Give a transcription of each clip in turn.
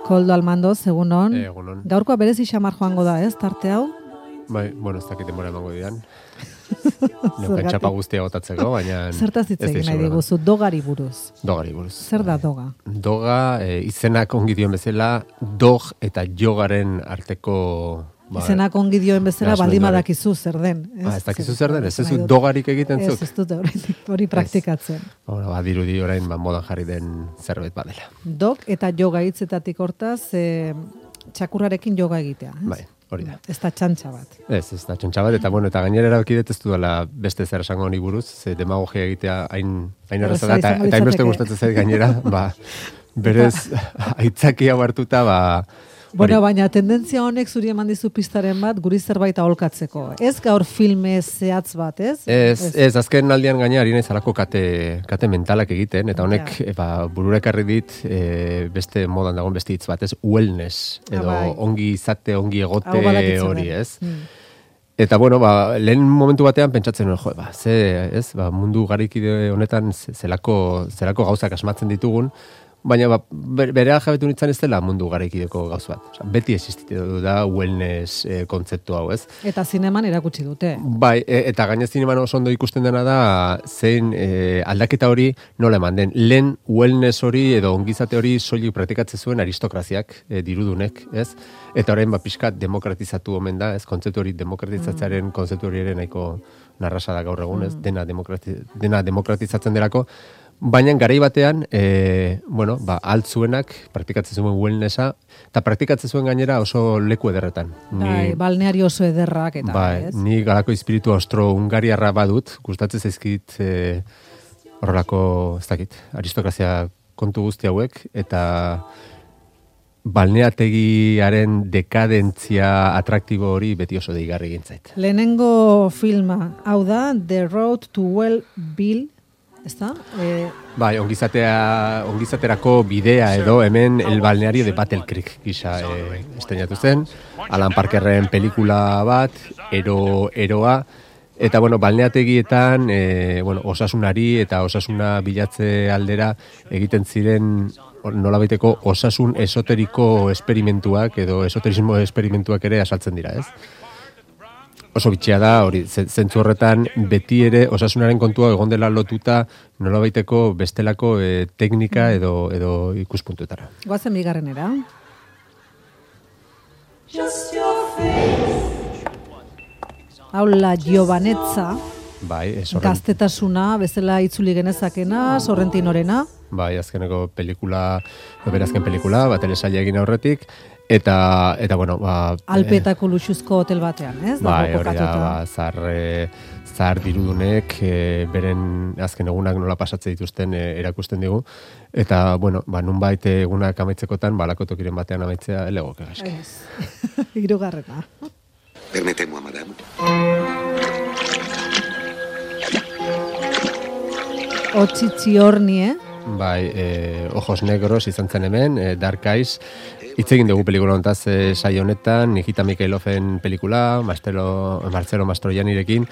Koldo Almandoz, egunon. Egunon. Gaurkoa berezi xamar joango da, ez, tarte hau? Bai, bueno, ez dakit denbora emango dian. Neuken txapa guztia gotatzeko, baina... Zertaz hitz egin nahi diguzu, dogari buruz. Dogari buruz. Zer da doga? Doga, izenak ongi dioen bezala, dog eta jogaren arteko... Izenak ongi dioen bezala, baldin badakizu zer den. Ez dakizu zer den, ez du dogarik egiten zuk? Ez dut hori praktikatzen. Dirudi orain modan jarri den zerbait badela. Dog eta joga hitzetatik hortaz, txakurrarekin joga egitea. Bai. Hori da. Ez da txantxa bat. Ez da txantxa bat, eta eta gainera erabaki dut ez dudala beste zer esango honi buruz, ze demagogia egitea hain erraza da, eta hain beste gustatzen zait gainera, berez aitzakia hartuta, Bueno, baina tendentzia honek zuri eman dizu pistaren bat, guri zerbait aholkatzeko. Ez gaur filme zehatz bat, ez? Ez, azken aldian gaina ari naiz alako kate mentalak egiten, eta honek burura ekarri dit beste modan dagoen beste hitz bat, ez? Wellness, edo ongi izate, ongi egote hori, ez? Eta, lehen momentu batean pentsatzen nuen, mundu garikide honetan zelako gauzak asmatzen ditugun, baina berea jabetu nintzen ez dela mundu garaikideko gauz bat. Beti existitu da wellness kontzeptu hau, ez? Eta zineman erakutsi dute. Bai, eta gainez zineman oso ondo ikusten dena da zein aldaketa hori nola eman den. Lehen wellness hori edo ongizate hori soilik praktikatzen zuen aristokraziak dirudunek, ez? Eta orain pixkat demokratizatu omen da, ez? Kontzeptu hori demokratizatzearen kontzeptu hori ere nahiko narrasa da gaur egun, ez? Dena demokratizatzen delako. Baina garai batean, altzuenak praktikatzen zuen wellnessa, eta praktikatzen zuen gainera oso leku ederretan. Balneari oso ederrak eta, ez? Ni galako espiritu austro-hungariarra badut, gustatzen zaizkit horrelako, ez dakit, aristokrazia kontu guzti hauek, eta balneategiaren dekadentzia atraktibo hori beti oso deigarri gintzait. Lehenengo filma, hau da, The Road to Well-Being, ¿está? Ongizaterako bidea edo hemen El balneario de Battle Creek gisa estrenatu zen. Alan Parkerren pelikula bat, eroa, eta balneategietan osasunari eta osasuna bilatze aldera egiten ziren nolabaiteko osasun esoteriko esperimentuak edo esoterismo esperimentuak ere asaltzen dira, ez? Oso bitxea da, hori, zentzu horretan, beti ere osasunaren kontua egon dela lotuta nolabaiteko bestelako teknika edo ikuspuntuetara. Goazen bigarrenera. Haula Giovanetza, gaztetasuna, bezala itzuli genezakena, Sorrentinorena. Bai, azkeneko pelikula, berazken pelikula, telesaila egin aurretik, eta Alpeetako luxuzko hotel batean, ez? Bai, hori da, zahar dirudunek, beren azken egunak nola pasatzen dituzten erakusten digu, eta, nunbait egunak amaitzekotan, balako tokiren batean amaitzea elegoke gaizki. Hirugarrena. Permettez-moi, madame. Otzitzi horni, Bai, Ojos Negros izan zen hemen, Dark Eyes. Hitz egin dugu pelikula hontaz saio honetan, Nikita Mikhailoven pelikula, Marcelo Mastroiannirekin,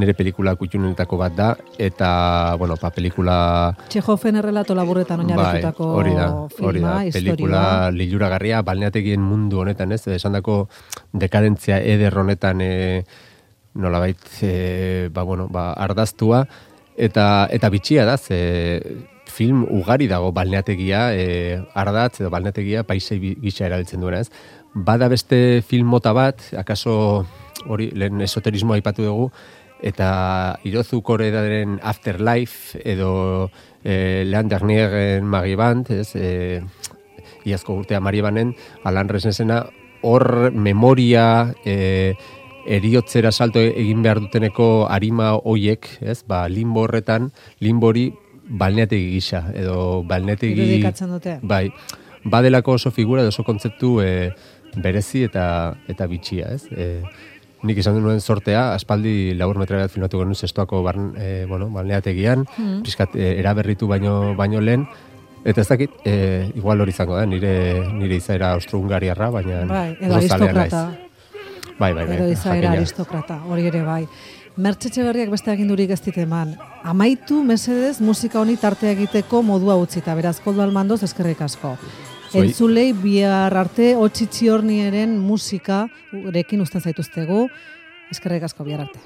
nire pelikula kutxunetako bat da, eta, pelikula... Txehofen errelato laburretan oinarritutako filma, pelikula liluragarria, balneategien mundu honetan, ez? Esandako dekadentzia eder honetan nolabait, ardaztua, eta bitxia da, film ugari dago balneategia, ardatz edo balneategia paisei gisa erabiltzen duena, ez? Bada beste film mota bat, akaso hori lehen esoterismoa aipatu dugu, eta Hirozu Koreedaren Afterlife edo Leander Niegen Magiband, ez? Iazko urtea Maribanen, Alan Resnesena, hor memoria, eriotzera salto egin behar duteneko arima hoiek, ez? Limbo horretan, limbori balneategi gisa, edo balneategi... Irudikatzen dute. Bai, badelako oso figura, oso kontzeptu berezi eta bitxia, ez? Nik izan duen sortea, aspaldi labur metra bat filmatu genuen zestoako balneategian, pixkat eraberritu baino lehen, eta ez dakit, igual hori izango da, nire izaera austro-hungariarra, baina... Bai, edo aristokrata. Bai. Edo izaera aristokrata, hori ere bai. Mertxe Berriak beste agindurik ez dit eman. Amaitu, mesedez, musika honi tartea egiteko modua utzita. Beraz, Koldo Almandoz, eskerrik asko. Entzulei bihar arte Otxitxiornieren musika urekin uzten zaituztegu. Eskerrik asko bihar arte.